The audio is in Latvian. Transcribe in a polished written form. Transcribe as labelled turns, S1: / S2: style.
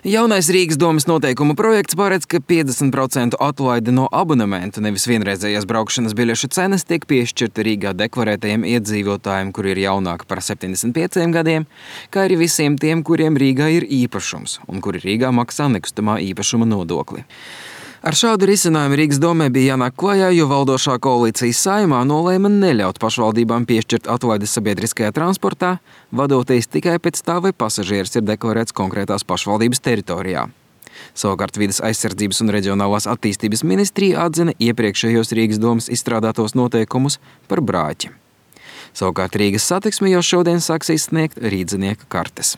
S1: Jaunais Rīgas domas noteikumu projekts paredz, ka 50% atlaide no abonementu, nevis vienreizējās braukšanas biļešu cenas, tiek piešķirta Rīgā deklarētajiem iedzīvotājiem, kuri ir jaunāki par 75 gadiem, kā arī visiem tiem, kuriem Rīgā ir īpašums un kuri Rīgā maksā nekustamā īpašuma nodokli. Ar šādu risinājumu Rīgas domē bija jānāk klajā, jo valdošā koalīcija Saeimā nolēma neļaut pašvaldībām piešķirt atlaides sabiedriskajā transportā, vadoties tikai pēc tā, vai pasažieris ir deklarēts konkrētās pašvaldības teritorijā. Savukārt Vides aizsardzības un reģionālās attīstības ministrija atzina iepriekšējos Rīgas domas izstrādātos noteikumus par brāķi. Savukārt Rīgas Satiksme jau šodien sāks izsniegt rīdzinieka kartes.